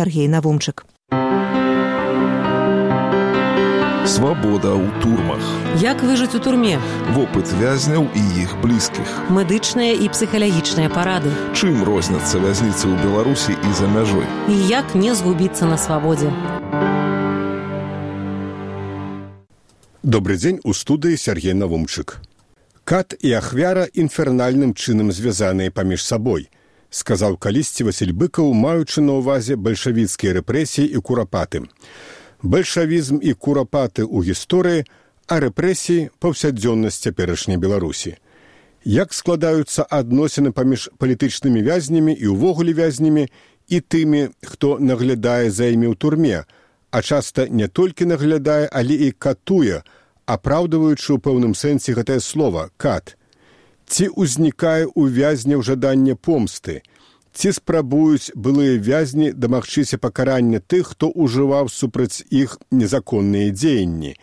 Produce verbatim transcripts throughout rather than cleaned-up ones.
Сяргей Навумчык. Свабода ў турмах. Як выжыць у турме? Вопыт вязняў і іх блізкіх. Медычныя і псіхалагічныя парады. Чым розняцца вязніцы ў Беларусі і за мяжой? І як не згубіцца на свабодзе? Добры дзень, у студыі Сяргей Навумчык. Кат і ахвяра інфернальным чынам звязаныя паміж сабой, сказаў калісьці Васіль Быкаў, маючы на ўвазе бальшавіцкія рэпрэсіі і курапаты. Бальшавізм і курапаты ў гісторыі, а рэпрэсіі – паўсядзённасць цяперашняй Беларусі. Як складаюцца адносіны паміж палітычнымі вязнямі і ўвогуле вязнямі і тымі, хто наглядае за імі ў турме, а часта не толькі наглядае, але і катуе, апраўдваючы ў пэўным сэнсе гэтае слова «кат». Ці ўзнікае ў вязняў жаданне помсты, ці спрабуюць былыя вязні дамагчыся пакарання тых, хто ўжываў супраць іх незаконныя дзеянні,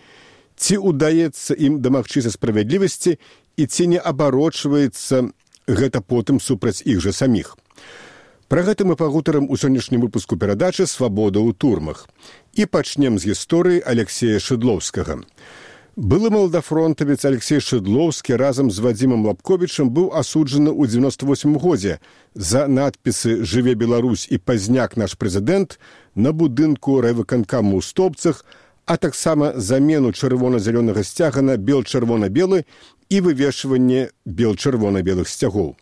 ці ўдаецца ім дамагчыся справядлівасці і ці не абарочваецца гэта потым супраць іх жа саміх. Пра гэта мы пагутарым у сённяшнім выпуску перадачы «Свабода ў турмах». І пачнем з гісторыі Алексея Шыдлоўскага. Былы малдафронтавец Алексей Шыдлоўскі разам з Вадзімам Лапковічам быў асуджаны ў дзевяносто восьмым годзе за надпісы «Жыве Беларусь» і «Пазняк наш прэзідэнт» на будынку райвыканкаму ў Стопцах, а таксама замену чырвона-зялёнага сцяга на бел-чырвона-белы і вывешванне бел-чырвона-белых сцягоў.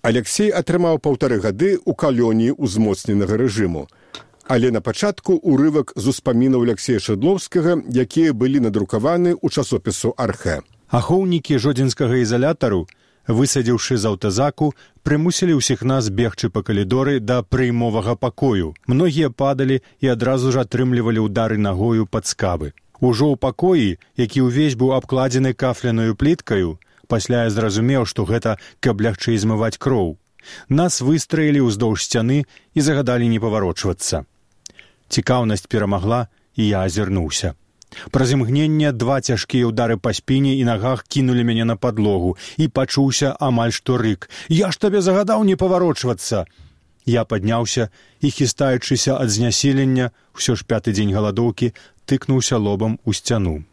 Алексей атрымаў паўтары гады ў калоніі ўзмоцненага рэжыму. Але на пачатку урывак з успамінаў Алексея Шыдлоўскага, якія былі надрукаваны ў часопісу «Архэ». Ахоўнікі жодзінскага ізалятару, высадзіўшы з аўтазаку, прымусілі ўсіх нас бегчы па калідоры да прыймовага пакою. Многія падалі і адразу ж атрымлівалі ўдары нагою пад скабы. Ужо ў пакоі, які ўвесь быў абкладзены кафляною пліткаю, пасля я зразумеў, што гэта каб лягчэй змываць кроў. Нас выстраілі ўздоўж сцяны і загадалі не паварочвацца. Цікаўнасць перамагла, і я азірнуўся. Праз імгненне два цяжкія ўдары па спіне і нагах кінулі мяне на падлогу, і пачуўся амаль што рык. «Я ж табе загадаў не паварочвацца!» Я падняўся і, хістаючыся ад знясілення, усё ж пяты дзень галадоўкі, тыкнуўся лобам у сцяну.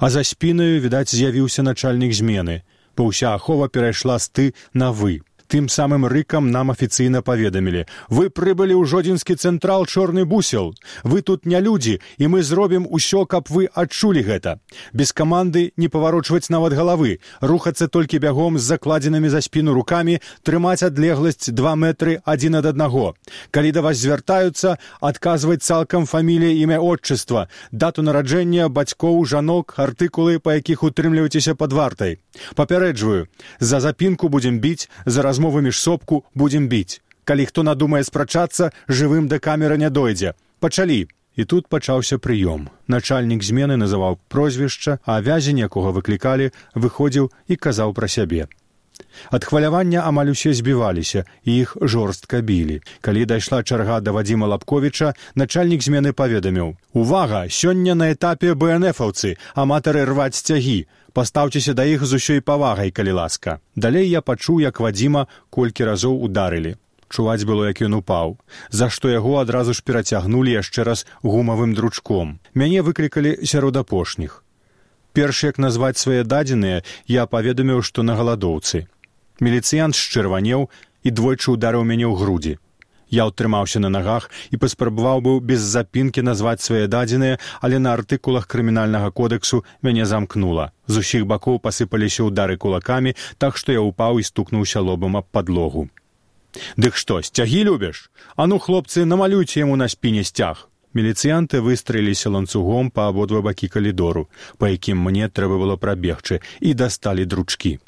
А за спінаю, відаць, з'явіўся начальнік змены, бо ўся ахова перайшла з «ты» на «вы». Тым самым рыкам нам афіцыйна паведамілі: «Вы прыбылі ў жодзінскі цэнтрал «Чорны бусел». Вы тут не людзі, і мы зробім усё, каб вы адчулі гэта. Без каманды не паварочваць нават галавы, рухацца толькі бягом з закладзенымі за спіну рукамі, трымаць адлегласць два метры адзін ад аднаго. Калі да вас звяртаюцца, адказваць цалкам фамілія, імя, отчыства, дату нараджэння, бацькоў, жанок, артыкулы, па якіх утрымліваецеся пад вартай. Папярэджваю, за запінку будзем біць, за размовы міжсобку будзем біць. Калі хто надумае спрачацца, жывым да камеры не дойдзе. Пачалі!» І тут пачаўся прыём. Начальнік змены называў прозвішча, а вязень, якога выклікалі, выходзіў і казаў пра сябе. Ад хвалявання амаль усе збіваліся, і іх жорстка білі. Калі дайшла чарга да Вадзіма Лапковіча, начальнік змены паведаміў: «Увага! Сёння на этапе бэ эн эфаўцы, аматары рваць сцягі. Пастаўцеся да іх з усёй павагай, калі ласка». Далей я пачуў, як Вадзіма колькі разоў ударылі. Чуваць было, як ён упаў, за што яго адразу ж перацягнулі яшчэ раз гумавым дручком. Мяне выклікалі сярод апошніх. Перш як назваць свае дадзеныя, я паведаміў, што на галадоўцы. Міліцыянт счырванеў і двойчы ударыў мяне ў грудзі. Я ўтрымаўся на нагах і паспрабаваў быў без запінкі назваць свае дадзеныя, але на артыкулах крымінальнага кодэксу мяне замкнула. З усіх бакоў пасыпаліся ўдары кулакамі, так што я ўпаў і стукнуўся лобам аб падлогу. «Дык што, сцягі любіш? А ну, хлопцы, намалюйце яму на спіне сцяг!» Міліцыянты выстраіліся ланцугом па абодва бакі калідору, па якім мне трэба было прабегчы, і дасталі дручкі.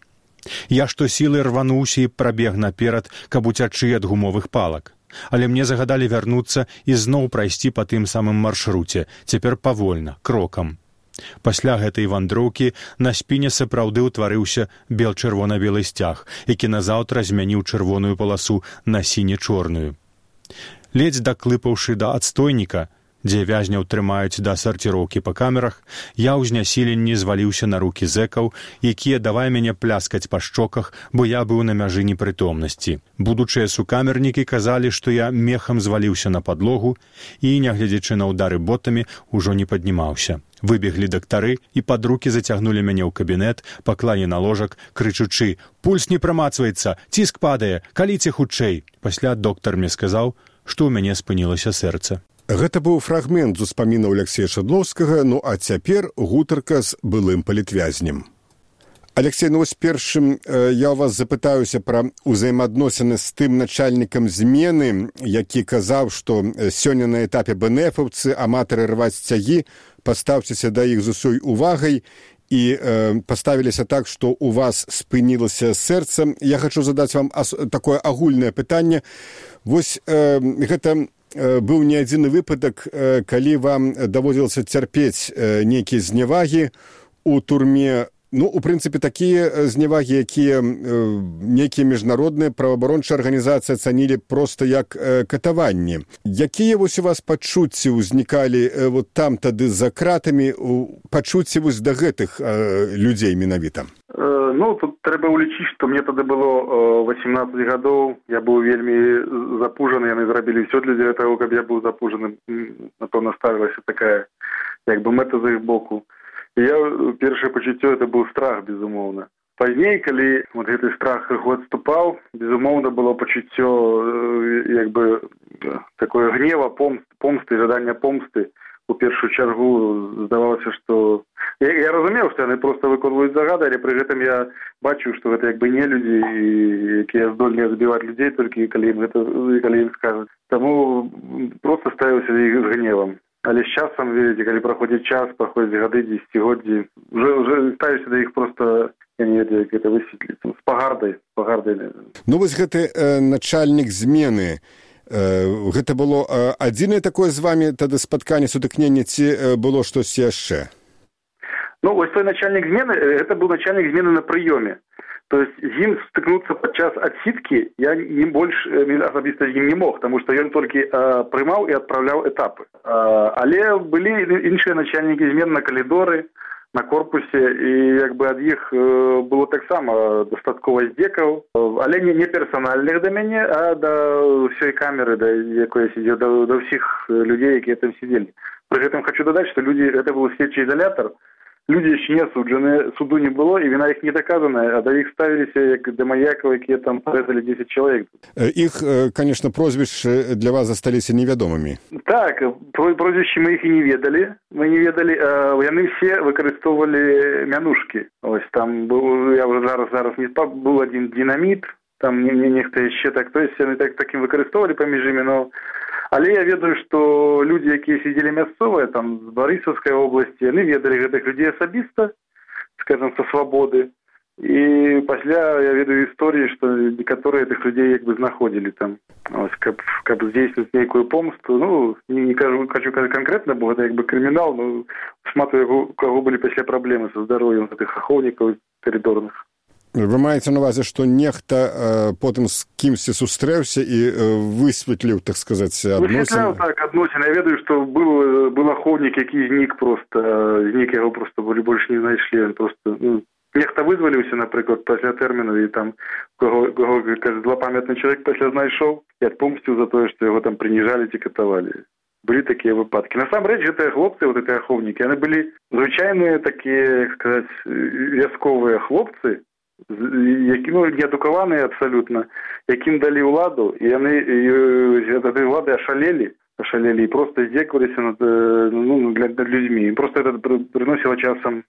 Я штосілы рвануўся і прабег наперад, каб уцячы ад гумовых палак. Але мне загадалі вярнуцца і зноў прайсці па тым самым маршруце, цяпер павольна, крокам. Пасля гэтай вандроўкі на спіне сапраўды ўтварыўся бел-чырвона-белы сцяг, які назаўтра змяніў чырвоную паласу на сіне-чорную. Ледзь даклыпаўшы да адстойніка, дзе вязняў трымаюць да сарціроўкі па камерах, я ў знясіленні зваліўся на рукі зэкаў, якія давай мяне пляскаць па шчоках, бо я быў на мяжы непрытомнасці. Будучыя сукамернікі казалі, што я мехам зваліўся на падлогу і, нягледзячы на ўдары ботамі, ужо не паднімаўся. Выбеглі дактары і пад рукі зацягнулі мяне ў кабінет, паклалі на ложак, крычучы: «Пульс не прамацваецца, ціск падае, каліце хутчэй». Пасля доктар мне сказаў, што ў мяне спынілася сэрца. Гэта быў фрагмент з успамінаў Алексея Шадлоўскага, ну а цяпер гутарка з былым палітвязнем. Алексей, ну вось першым я ў вас запытаюся пра ўзаемаадносіны з тым начальнікам змены, які казаў, што сёння на этапе бэнэфаўцы, аматары рваць цягі, пастаўцеся да іх з усёй увагай і э, паставіліся так, што у вас спынілася сэрца. Я хачу задаць вам ас- такое агульнае пытанне. Вось э, гэта э, быў не адзіны выпадак, э, калі вам даводзілася цярпець э, нейкія зневагі у турме. Ну, у прынцыпе, такія зневагі, якія э, нейкія міжнародныя праваабарончыя арганізацыі ацанілі проста як э, катаванні. Якія вось у вас пачуцці ўзнікалі э, вот там тады за кратамі, пачуцці вось да гэтых э, людзей менавіта? Э, ну, тут трэба ўлічыць, што мне тады было восемнадцаць гадоў, я быў вельмі запужаны, яны зрабілі ўсё для таго, каб я быў запужаны. Напэўна, ставілася такая, як бы, мэта з іх боку. Я, першае пачуццё, это быў страх, безумоўна. Пазней, калі вот гэты страх крыху адступаў, безумоўна, было пачуццё, як бы, такое гнева, помсты, помсты, жадання помсты. У першую чаргу здавалася, што... Я, я разумеў, што яны проста выконваюць загады, але пры гэтым я бачыў, што гэта як бы не людзі, якія здольныя збіваць людзей, толькі калі ім гэта, калі ім скажуць. Таму проста ставіўся за іх з гневам. Але з часам, ведаеце, калі праходзіць час, праходзяць гады, дзесяцігоддзі, уже, уже ставіўся да іх проста, я не ведаю, як гэта высветліць, з пагардай, з пагардай. Ну, вось гэты э, начальнік змены, э, гэта было э, адзінае такое з вамі тады спатканне, сутыкненне, ці э, было штосьці яшчэ? Ну, вось той начальнік змены, гэта быў начальнік змены на прыёме. То есть з ім стыкнуцца падчас адсідкі я не больш асабіста з ім не мог, таму што ён толькі а, прымаў і адпраўляў этапы. А, але былі іншыя начальнікі змен на калідоры, на корпусе, і як бы ад іх было таксама дастаткова здзекаў, але не, не персанальных да мяне, а да ўсёй камеры, да якой я сидзеў, да, да ўсіх людзей, якія там сидзелі. Пры гэтым хочу дадаць, што людзі, гэта быў следчы изолятор. Люди еще не осуджены, суду не было, и вина их не доказана, а до их ставились как до маяков, которые там порезали десять человек. Их, конечно, прозвища для вас остались неведомыми. Так, прозвища мы их и не ведали. Мы не ведали, яны все выкористовывали мянушки. Ось там был, я уже зараз, зараз не спал, был один динамит, там не, не, нехто еще так, то есть они так, таким выкористовывали поміж ими, но... Але я ведаю, што людзі, якія сидзелі мясцовыя, там, з Барысаўскай обласці, яны ведалі гэтых людзей асабіста, скажем, са свабоды. І пасля я ведаю історыі, што некаторыя гэтых людзей як бы знаходзілі там, ось, каб, каб здзейсніць нейкую помсту. Ну, не, не кажу, хочу казаць канкрэтна, бо гэта як бы крымінал, но шмат у каго былі пасля праблемы са здароўем гэтых ахоўнікаў каридорных. Вы маеце на увазе, што нехта э, потым з кімсьці сустрэўся і э, высветліў, так сказаць, адносіны? Высветляў, так, адносіны. Я ведаю, што быў, быў ахоўнік, які знік проста, знік яго проста больш не знайшлі. Просто, ну, нехта вызваліўся, напрыклад, пасля тэрміну, і там каго, каго кажа, злапамятны чалавек пасля знайшоў і адпомсціў за тое, што яго там прыніжалі ці катавалі. Былі такія выпадкі. Насамрэч, гэтыя хлопцы, вот гэтыя ахоўнікі, яны былі звычайныя такія, як сказаць, вясковыя хлопцы, які, ну, неадукаваныя абсалютна, якім далі ўладу, і яны ад улады ашалелі, ашалелі і проста здзекаваліся над, ну, над людзьмі. І проста гэта прыносіла часам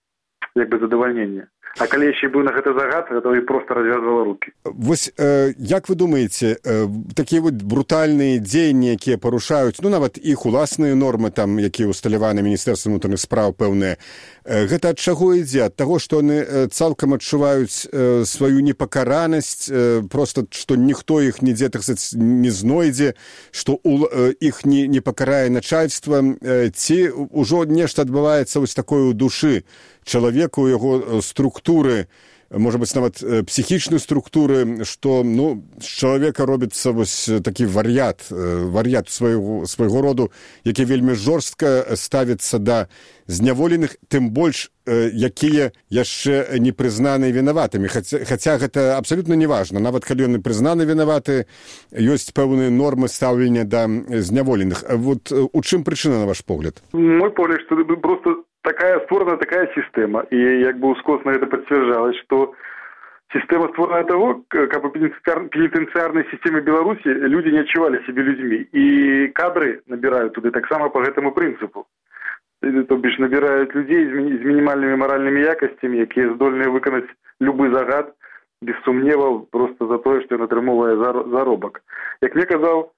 як бы задавальненне. А калі яшчэ быў на гэта загад, то і проста развязвала рукі. Вось, э, як вы думаеце, э, такія вот брутальныя дзеянні, якія парушаюць, ну, нават іх уласныя нормы, там, якія ўсталяваны Міністэрствам унутраных спраў, пэўныя, э, гэта ад чаго ідзе? Ад таго, што яны э, цалкам адчуваюць э, сваю непакаранасць, э, проста, што ніхто іх нідзе, так сказаць, не знойдзе, што у, э, іх не, не пакарае начальства, э, ці ўжо нешта адбываецца вось такое ў душы чалавека, у яго структуры, можа быць нават псіхічнай структуры, што ну з чалавека робіцца вось такі вар'ят вар'ят свайго свайго роду, які вельмі жорстка ставіцца да зняволеных, тым больш якія яшчэ не прызнаныя вінаватымі, хаця, хаця гэта абсалютна неважна, нават калі яны прызнаны вінаваты, ёсць пэўныя нормы стаўлення да зняволеных. Вот у чым прычына, на ваш погляд? Мой погляд, што просто такая створана такая сістэма, і як бы ускосна гэта пацвярджалася, што система створена того, как в пенитенциарной системе Беларуси люди не отчували себе людьми. И кадры набирают туда так само по этому принципу. То бишь набирают людей с минимальными моральными якостями, которые здольны выконать любой загад, без сумневов, просто за то, что он атрымовывает заробок. Как мне казал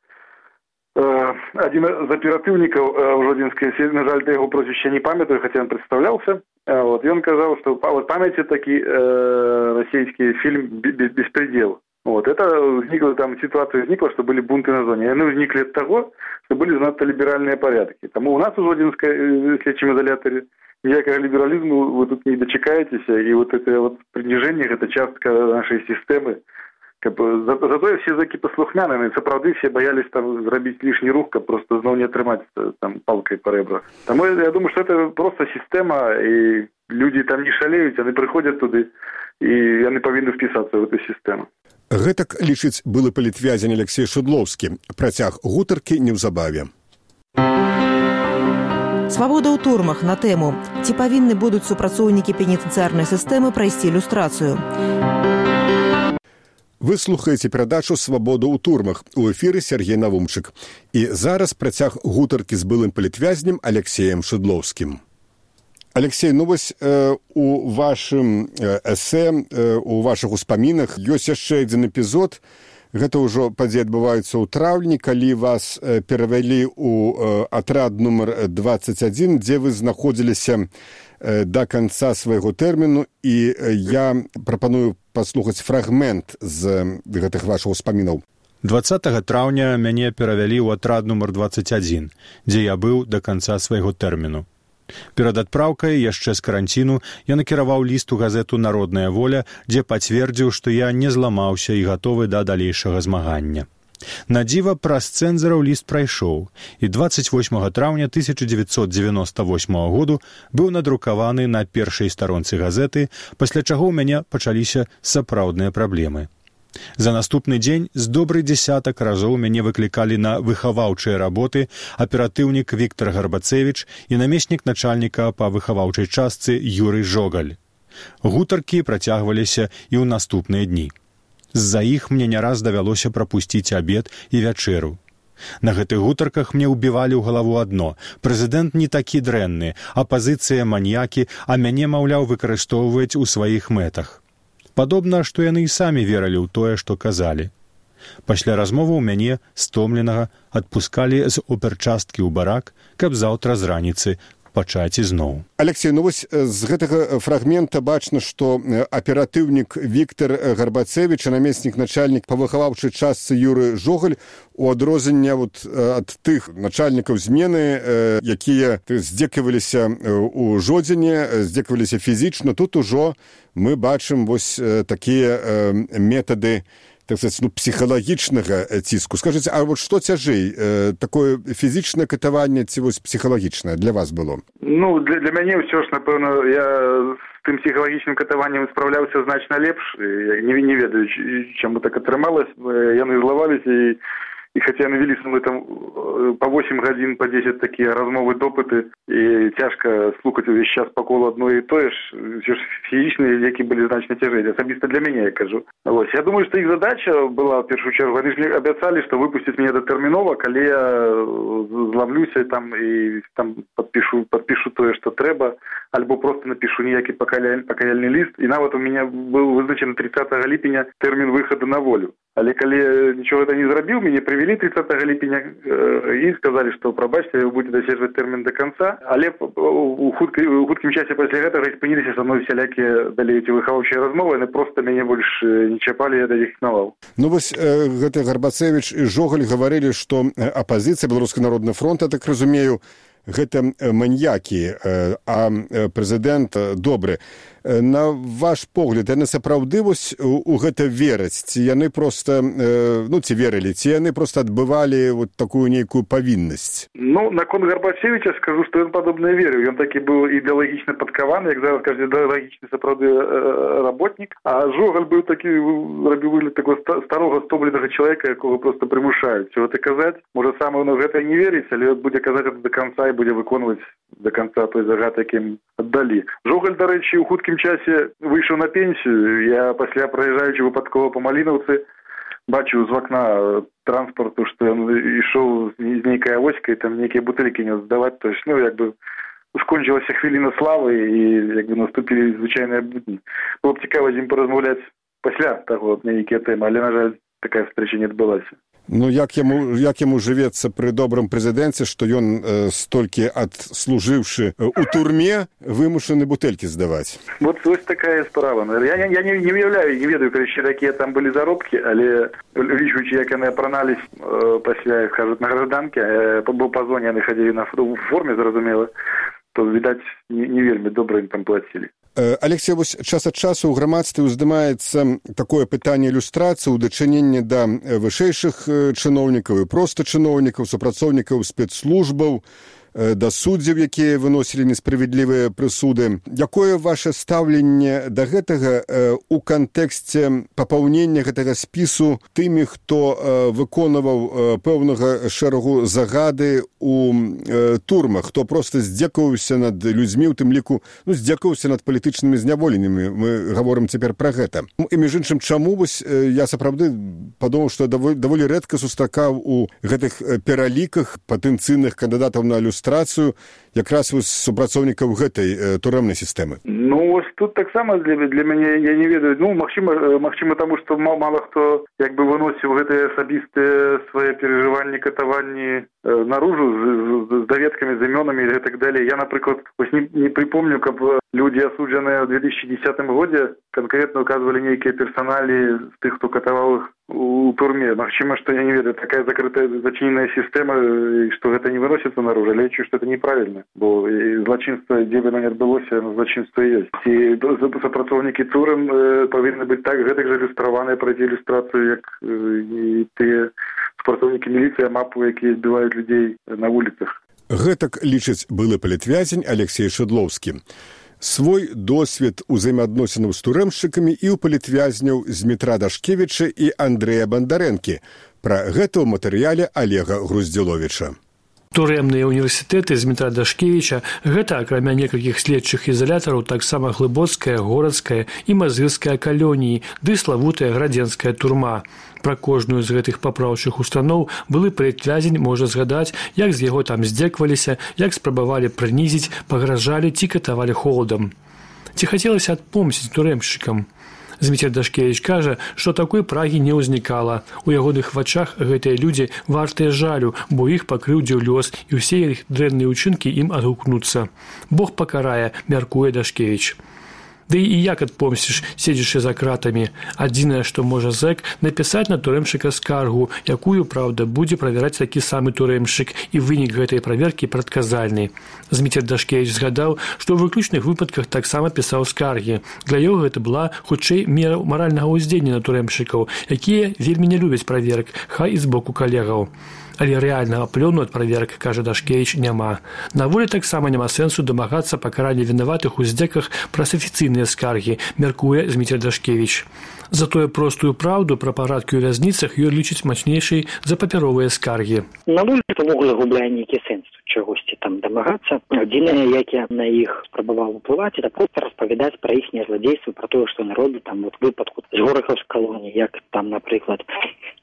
один из оперативников в Жодинской, на жаль, я его прозвище не памятаю, хотя он представлялся, вот, и он сказал, что вот памяти таки э, российский фильм «Беспредел». Вот, это возникла, там ситуация возникла, что были бунты на зоне. И они возникли от того, что были занадто либеральные порядки. Тому у нас в Жодинской следчем изоляторе никакого либерализма вы тут не дочекаетесь, и вот это вот принижение, это частка нашей системы. Как бы, за, зато все таки послухмяныя, сапраўды все боялись там зрабіць лишний рух, каб просто зноў не атрымаць там палкой по ребрах. Тому я думаю, что это просто система, и люди там не шалеют, они приходят туда, и они повинны вписаться в эту систему. Гэтак лічыць былы палітвязень Алексей Шудловскі. Працяг гутаркі неўзабаве. Свабода ў турмах на тэму: ці павінны будуць супрацоўнікі пенітэнцыярнай сістэмы прайсці люстрацыю. Вы слухаеце перадачу «Свабода ў турмах». У эфіры Сергей Навумчык. І зараз працяг гутаркі з былым палітвязнем Алексеем Шудловскім. Алексей, ну вось э, у вашым э, эсэ, э, у вашых успамінах ёсць яшчэ адзін эпізод. Гэта ўжо падзеі адбываюцца ў траўні, калі вас э, перавялі ў э, атрад нумар двадцать один, дзе вы знаходзіліся э, да канца свайго тэрміну, і э, я прапаную паслухаць фрагмент з гэтых вашых успамінаў. дваццатага траўня мяне перавялі ў атрад нумар двадцать один, дзе я быў да канца свайго тэрміну. Перад адпраўкай яшчэ з каранціну я накіраваў ліст у газету «Народная воля», дзе пацвердзіў, што я не зламаўся і гатовы да далейшага змагання. На дзіва, праз цэнзараў ліст прайшоў, і двадцать восьмага траўня тысяча дзевяцьсот дзевяносто восьмага году быў надрукаваны на першай старонцы газеты, пасля чаго ў мяне пачаліся сапраўдныя праблемы. За наступны дзень з добрый дзесятак разоў мяне выклікалі на выхаваўчыя работы аператыўнік Віктор Гарбацевіч і намеснік начальніка па выхаваўчай частцы Юрый Жогаль. Гутаркі працягваліся і ў наступныя дні. З-за іх мне не раз давялося прапусціць абед і вячэру. На гэтых гутарках мне ўбівалі ў галаву адно: прэзідэнт не такі дрэнны, апазіцыя маньякі, а мяне, маўляў, выкарыстоўваюць у сваіх мэтах. Падобна, што яны і самі верылі ў тое, што казалі. Пасля размовы ў мяне, стомленага, адпускалі з оперчасткі ў барак, каб заўтра з раніцы пачаць ізноў. Алексей, ну вось з гэтага фрагмента бачна, што аператыўнік Віктор Гарбацевіч, намеснік начальнік па выхаваўчай частцы Юры Жогаль, у адрозненне вот ад тых начальнікаў змены, якія здзекаваліся ў Жодзіне, здзекаваліся фізічна, тут ужо мы бачым вось такія метады, так сказать, ну, псіхалагічнага ціску. Скажыце, а вот што цяжэй, э, такое фізічнае катаванне ці вось псіхалагічнае для вас было? Ну, для, для мяне ўсё ж, напэўна, я з тым псіхалагічным катаваннем спраўляўся значна лепш. Я не, не ведаю, чаму так атрымалася. Яны злаваліся, і, і хаця яны вялі са мной там па восемь гадзін, па дзесяць такія размовы, допыты, і цяжка слухаць увесь час па колу адно і тое ж, ўсё ж фізічныя лекі былі значна цяжэй, асабіста для мяне, я кажу. Вось. Я думаю, што іх задача была, в першую чаргу, они же абяцалі, што выпусцяць мяне датэрмінова, калі я злавлюся там і там падпішу, падпішу тое, што трэба, альбо просто напишу ніякі пакаяльны ліст, і нават у мяне быў вызначаны тридцатага ліпеня тэрмін выхаду на волю. Але калі нічого гэта не зрабіў, мяне прывялі тридцатага ліпеня э, і сказалі, што прабачце, вы будете даседжваць тэрмін до конца, але у хуткім часе пасля гэтага спыніліся са мной всялякія далей эти выхаваўчыя размовы, яны просто мяне больш не чапалі, я да іх ігнаваў. Ну вось э, гэты Гарбацевіч і Жогаль гаварылі, што апазіцыя Беларускі народны фронт, я так разумею, гэта маньякі, а прэзідэнт добры. На ваш погляд, яны сапраўды вось у, у гэта вераць, ці яны проста, ну, ці верылі, ці яны проста адбывалі вот такую нейкую павіннасць? Ну, наконт Гарбачевича скажу, што ён падобна верыў. Ён такі быў ідэалагічна падкаваны, як зараз кажа, ідэалагічны сапраўды работнік. А Жогаль быў такі, рабіў выгляд такого старога стомленага чалавека, якога проста прымушаюць. Чого ты казаць? Можа, сам ён у гэта не верыць, але будзе казаць гэта до конца і будзе выконваць до конца той загад, якім аддалі. Жогаль, дарэчы, у хуткім часе выйшаў на пенсію. Я пасля, праязджаючы выпадкова па Малінаўцы, бачыў з вакна транспарту, што ён ішоў з нейкай авоськай, там нейкія бутылькі не здаваць. То есть, ну, як бы скончылася хвіліна славы і як бы наступілі звычайныя будні. Было б цікава з ім паразмаўляць пасля таго нейкія тэмы, але, на жаль, такая встреча не адбылася. Ну, як яму, як яму жывецца пры добрым прэзідэнце, што ён э, столькі адслужыўшы у турме, вымушаны бутэлькі здаваць? Вот ось такая справа. Я, я, я не, не уяўляю, не ведаю, короче, якія там былі заробкі, але лічуючи, як яны апранались э, пасля, кажуць, на гражданке, э, бо па зоне яны хадзілі на форме, зразумела, то, відаць, не, не вельмі добра ім там плацілі. Алексей, вось час ад часу ў грамадстве ўздымаецца такое пытанне ілюстрацыі ў дачыненні да вышэйшых чыноўнікаў і проста чыноўнікаў, супрацоўнікаў спецслужбаў, да суддзяў, якія выносілі несправядлівыя прысуды. Якое ваше стаўленне да гэтага ў кантэксце папаўнення гэтага спісу тымі, хто выконваў пэўнага шэрагу загады у турмах, хто проста здзекаваўся над людзьмі, у тым ліку, ну, здзекаваўся над палітычнымі зняволенымі. Мы гаворым цяпер пра гэта. І між іншым, чаму вось я сапраўды падумаў, што даволі, даволі рэдка сустракаў у гэтых пераліках патэнцыйных кандыдатаў на ілюстрацыю якраз вось супрацоўнікаў гэтай э, турэмнай сістэмы. Ну, вось тут таксама для, для мяне, я не ведаю, ну, магчыма, магчыма таму, што мала хто як бы выносіў гэтыя асабістыя свае перажыванні, катаванні э, наружу з, з, з даведкамі, з імёнамі і так далее. Я, напрыклад, вось не, не припомню, каб людзі, асуджаныя ў две тысячи десятым годзе, канкрэтна указвалі нейкія персаналі з тых, хто катаваў іх у турме. Магчыма, што я не ведаю, такая закрытая зачыненая сістэма, што гэта не выносіцца наружу, але лічу, што это неправільна, бо злачынства, дзе бы оно не адбылося, злачынства ёсць. І супрацоўнікі турм э, павінны быць так гэтак жа ілюстраваныя, прайти ілюстрацыю, як э, і тыя супрацоўнікі міліцыі, мапу, якія збіваюць людзей на вуліцах. Гэтак лічыць былы палітвязень Алексей Шыдлоўскі. Свой досвед узаемаадносінаў з турэмшчыкамі і ў палітвязняў Змітра Дашкевіча і Андрэя Бандарэнкі. Пра гэта ў матэрыяле Олега Груздзіловіча. Турэмныя універсітэты Змітра Дашкевіча – гэта, акрамя некалькіх следчых ізалятараў, таксама глыбоцкая, горадская і мазырская калоніі, ды славутая градзенская турма. Пра кожную з гэтых папраўчых устаноў былы палітвязень можа згадаць, як з яго там здзекваліся, як спрабавалі прынізіць, пагражалі ці катавалі холадам. Ці хацелася адпомсціць турэмшчыкам? Зміцер Дашкевіч кажа, што такой прагі не ўзнікала. У ягоных вачах гэтыя людзі вартыя жалю, бо іх пакрыўдзіў лёс, і ўсе іх дрэнныя ўчынкі ім адгукнуцца. Бог пакарае, мяркуе Дашкевіч. Ды і як адпомсціш, седзячы за кратамі. Адзінае, што можа зэк, напісаць на турэмшчыка скаргу, якую, праўда, будзе правяраць такі самы турэмшчык, і вынік гэтай праверкі прадказальны. Зміцер Дашкевіч згадаў, што ў выключных выпадках таксама пісаў скаргі. Для яго гэта была, хутчэй, мера маральнага ўздзеяння на турэмшчыкаў, якія вельмі не любяць праверак, хай і з боку калегаў. Але рэальнага плёну ад праверак, кажа Дашкевіч, няма. На волі таксама няма сэнсу дамагацца пакарання вінаватых у здзеках праз афіцыйныя скаргі, мяркуе Зміцер Дашкевіч. Затое простую праўду пра парадкі ў вязніцах ён лічыць мацнейшай за папяровыя скаргі. На волі увогуле губляе нейкі сэнс чагосьці там дамагацца. Адзінае, як я на іх спрабаваў уплываць, это проста распавядаць пра іхнія зладзействы, пра тое, што народы там вот выпадку з горахаўскай калоніі, як там, напрыклад,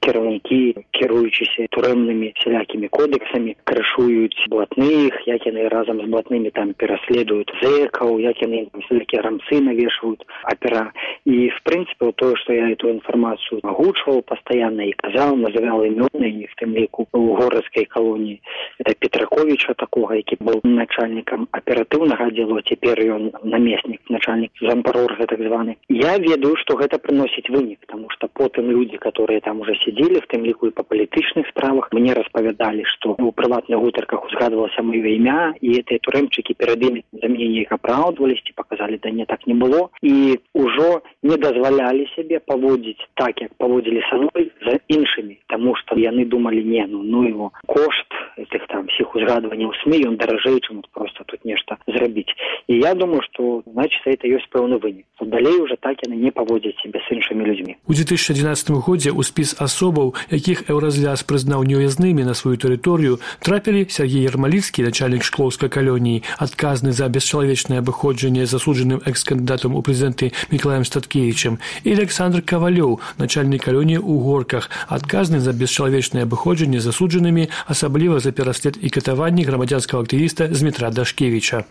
кіраўнікі, кіруючыся турэмнымі сялякімі кодексамі, крышуюць блатных, як яны разам з блатнымі там пераследуюць зэкаў, як яны там сялякія рамцы навешваюць апера. І, в прынцыпе, тое, што я эту інфармацыю агучваў пастаянна і казаў, называў імёны, і в тым ліку у горадскай калоніі, это Петракоў, Петраковича такого, які быў начальнікам аператыўнага аддзелу, цяпер ён намеснік, начальнік зампарорга так званы. Я ведаю, што гэта прыносіць вынік, таму што потым людзі, которые там уже сидзелі, в тым ліку і па палітычных справах, мне распавядалі, што у прыватных гутарках узгадвалася маё імя, і гэтыя турэмчыкі перад імі за мяне неяк апраўдваліся, паказалі, да не, так не было, і ўжо не дазвалялі сябе паводзіць так, як паводзілі са мной за іншымі, таму што яны думалі, не, ну, ну его кошт этих там всіх узгадванняў СМІ, ён даражэй, чым просто тут нешта зрабіць. І я думаю, што, значит, это ёсць пэўны вынік. Далей уже так яны не паводзяць сябе з іншымі людзьмі. У две тысячи одиннадцатым годзе ў спіс асобаў, якіх Еўразвяз прызнаў неўязнымі на сваю тэрыторыю, трапілі Сергей Ярмаліцкі, начальнік шклоўскай калоніі, адказны за бесчалавечнае абыходжанне засуджаным экс-кандыдатам у прэзідэнты Мікалаем Статкевічем, і Александр Кавалёў, начальнік калоніі ў Горках, адказны за бесчалавечнае абыходжанне засуджанымі, асабліва за пераслед і катаванні грамадзянскага актывіста Змітра Дашкевіча.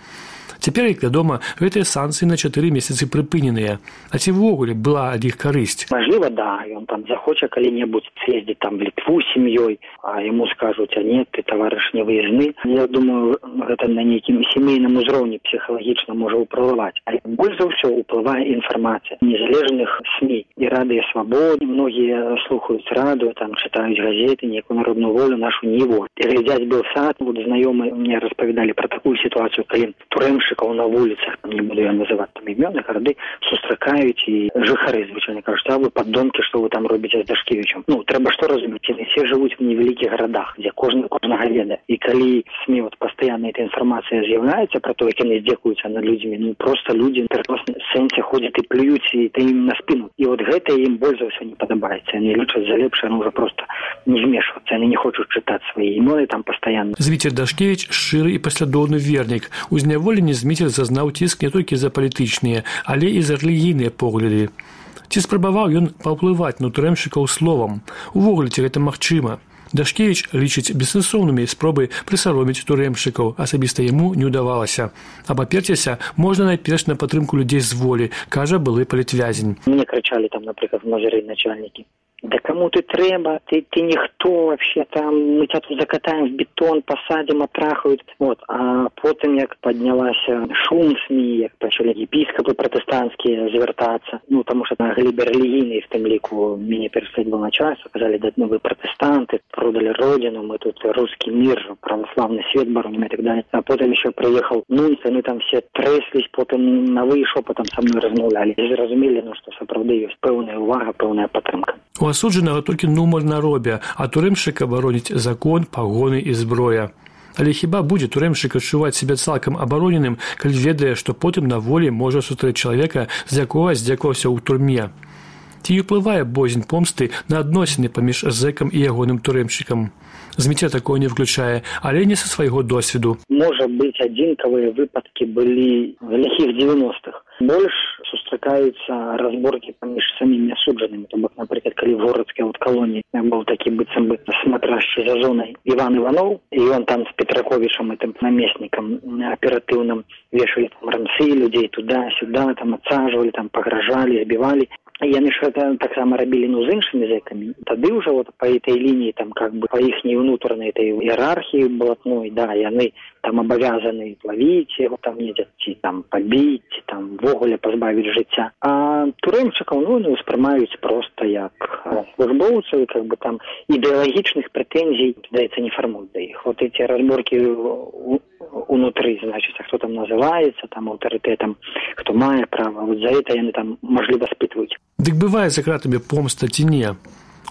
Цяпер, як вядома, гэтыя санкцыі на чатыры месяцы прыпыненыя. А ці ввогуле была ад іх карысць? Мажліва, да, ён там захоча калі-небудзь з'ездзіць там в Літву з сям'ёй, а яму скажуць, а нет, ты таварыш не выездны. Я думаю, гэта на нейкім сямейным узроўні псіхалагічна можа ўплываць. А больш за ўсё ўплывае інфармацыя незалежных СМІ. І радыё Свабода, многія слухаюць радыё, там чытаюць газеты, нейкую народную волю, нашу Ніву. І глядзяць Белсат, вот знаёмыя мне распавядалі пра такую сітуацыю, калі турэмшчыкаў на вуліцах, не буду я называць там імёны, гарды, сустракаюць і жыхары звычайна кажуць, а вы паддонкі, што вы там робіце з Дашкевічем. Ну, трэба што разумець, яны все жывуць в невялікіх гарадах, дзе кожны кожнага ведае. І калі СМІ вот пастаянна эта інфармацыя з'яўляецца пра то, як яны здзекуюцца над людзьмі, ну проста людзі в сэнсе ходзяць і плююць і ты ім на спіну. І вот гэта ім больш за ўсё не падабаецца. Яны лічаць за лепшае, ну ўжо проста не змешвацца, яны не хочуць чытаць свае імёны там пастаянна. Зміцер Дашкевіч шчыры і паслядоўны вернік. У зняволенні Зміцер зазнаў ціск не толькі за палітычныя, але і за рэлігійныя погляды. Ці спрабаваў ён паўплываць на турэмшчыкаў словам? Увогуле, ці гэта магчыма? Дашкевіч лічыць бессэнсоўнымі спробы прысароміць турэмшчыкаў, асабіста яму не ўдавалася. Абаперціся можна найперш на падтрымку людзей з волі, кажа былы палітвязень. Мне крычалі там, напрыклад, многія начальнікі. Да кому ты трэба, ты, ты ніхто вообще там, мы тебя тут закатаем в бетон, посадим, отрахают. Вот. А потым, як поднялася шум СМІ, як пачалі епіскопы пратэстанцкія звяртацца, ну, тому что на глебе рэлігійнай в тым ліку мяне пераследаваў начальство, сказали, да ну вы пратэстанты, продали родину, мы тут русский мир, православный свет бороним и так далее. А потом еще приехал нунций, мы там все тряслись, потом на вы шепотом со мной размаўлялі. І зразумелі, ну, што сапраўды ёсць пэўная увага, пэўная падтрымка. У асуджанага толькі нумар на робе, а турэмшчыка бароніць закон, пагоны і зброя. Але хіба будзе турэмшчык адчуваць сябе цалкам абароненым, калі ведае, што потым на волі можа сустрэць чалавека, з якога здзекаваўся ў турме? Ці ўплывае боязь помсты на адносіны паміж зэкам і ягоным турэмшчыкам? Зміцер такое не включае, але не са свайго досведу. Можа быць, адзінкавыя выпадкі былі в ліхіх дзевяностых. Больш сустракаюцца разборкі паміж самімі асуджанымі. То бок, напрыклад, калі в городскай вот калоніі быў такі быццам бы смотряшчы за зонай Іван Іванов, і ён там з Петраковичам, этим намеснікам аператыўным, вешалі там рамсы людзей туда-сюда, там адсажвалі, там пагражалі, збівалі. Яны ж гэта таксама рабілі, ну, з іншымі зэкамі. Тады ўжо вот па этой лініі, там, как бы, па іхняй унутранай этой іерархіі блатной, да, яны там абавязаны лавіць яго там недзе, ці там пабіць, ці там ввогуле пазбавіць жыцця. А турэмчыкаў, ну, не ўспрымаюць проста як службоўцаў, как бы там ідэалагічных прэтэнзій, здаецца, не фармуюць да іх. Вот эти разборкі унутры, значит, хто там называецца, там аўтарытэтам, хто мае права, вот за это яны там, мажліва, спытваюць. Дык бывае за кратамі помста ці не?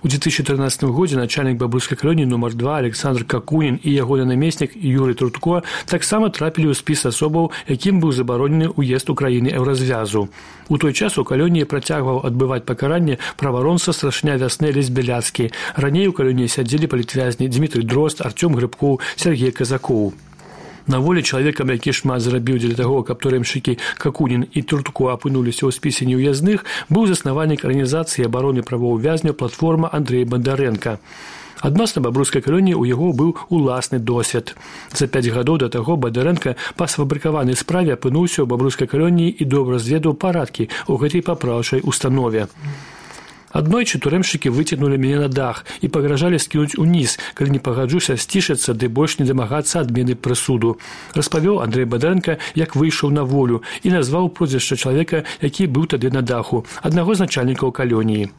У две тысячи тринадцатым годзе начальнік бабруйскай калоніі нумар два Александр Какунін і ягоны намеснік Юрый Трутко таксама трапілі ў спіс асобаў, якім быў забаронены ўезд у краіны Еўразвязу. У той час у калоніі працягваў адбываць пакаранне праваронца страшня вясны Лесь Бяляцкі. Раней у калоніі сядзелі палітвязні Дмітрый Дрозд, Артём Грыбкоў, Сергей Казакоў. На волі чалавекам, які шмат зрабіў дзеля таго, каб турэмшчыкі Какунін і Трутко апынуліся ў спісе неўязных, быў заснавальнік арганізацыі абароны правоў вязняў платформа Андрэй Бондарэнка. Адносна бабруйскай калоніі ў яго быў уласны досвед. За пяць гадоў да таго Бондарэнка па сфабрыкаванай справе апынуўся ў бабруйскай калоніі і добра зведаў парадкі ў гэтай папраўчай установе. Аднойчы турэмшчыкі выцягнулі мяне на дах і пагражалі скінуць уніз, калі не пагаджуся сцішыцца ды больш не дамагацца адмены прысуду. Распавёў Андрэй Бадарэнка, як выйшаў на волю, і назваў прозвішча чалавека, які быў тады на даху, аднаго з начальнікаў калоніі.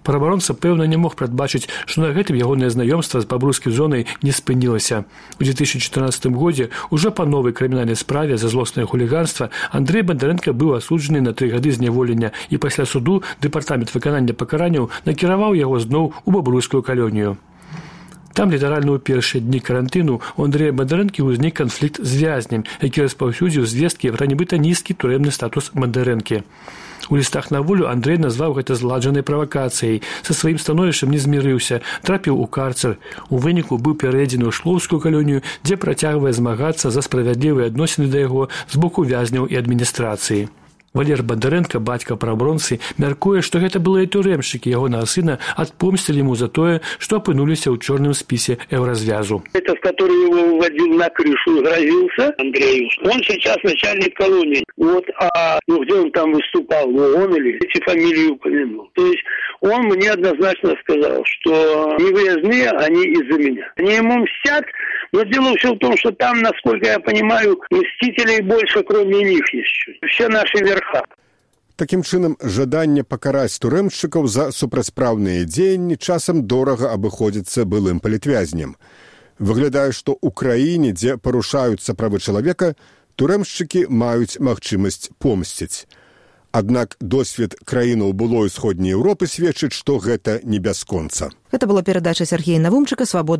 Праваабаронца, пэўна, не мог прадбачыць, што на гэтым ягонае знаёмства з бабруйскай зонай не спынілася. У две тысячи чатырнаццатым годзе ўжо па новай крымінальнай справе за злоснае хуліганства Андрэй Бондарэнка быў асуджаны на тры гады зняволення, і пасля суду дэпартамент выканання пакаранняў накіраваў яго зноў у бабруйскую калонію. Там літаральна ў першыя дні карантыну у Андрэя Бондарэнкі ўзнік канфлікт з вязнем, які распаўсюдзіў звесткі пра нібыта нізкі турэмны статус Бондарэнкі. У лістах на волю Андрэй назваў гэта зладжанай правакацыяй, са сваім становішчам не змірыўся, трапіў у карцер. У выніку быў пераведзены ў шлоўскую калонію, дзе працягвае змагацца за справядлівыя адносіны да яго з боку вязняў і адміністрацыі. Валер Бондарэнка, бацька праабаронцы, мяркуе, што гэта былыя турэмшчыкі ягонага сына адпомсцілі яму за тое, што апынуліся ў чорным спісе еўразвязу. Этот, который его выводил на крышу, грозился Андрею. Он сейчас начальник колонии. Вот, а ну, где он там выступал, ну, он или эти фамилии упомянул. То есть он мне однозначно сказал, что не выездные, они из-за меня. Они ему мстят, но дело все в том, что там, насколько я понимаю, мстителей больше, кроме них еще. Все наши верхи. Такім чынам, жаданне пакараць турэмшчыкаў за супрацьпраўныя дзеянні часам дорага абыходзіцца былым палітвязням. Выглядае, што ў краіне, дзе парушаюцца правы чалавека, турэмшчыкі маюць магчымасць помсціць. Аднак досвед краінаў былой усходняй Еўропы сведчыць, што гэта не бясконца. Гэта была перадача Сергея Навумчыка «Свабода».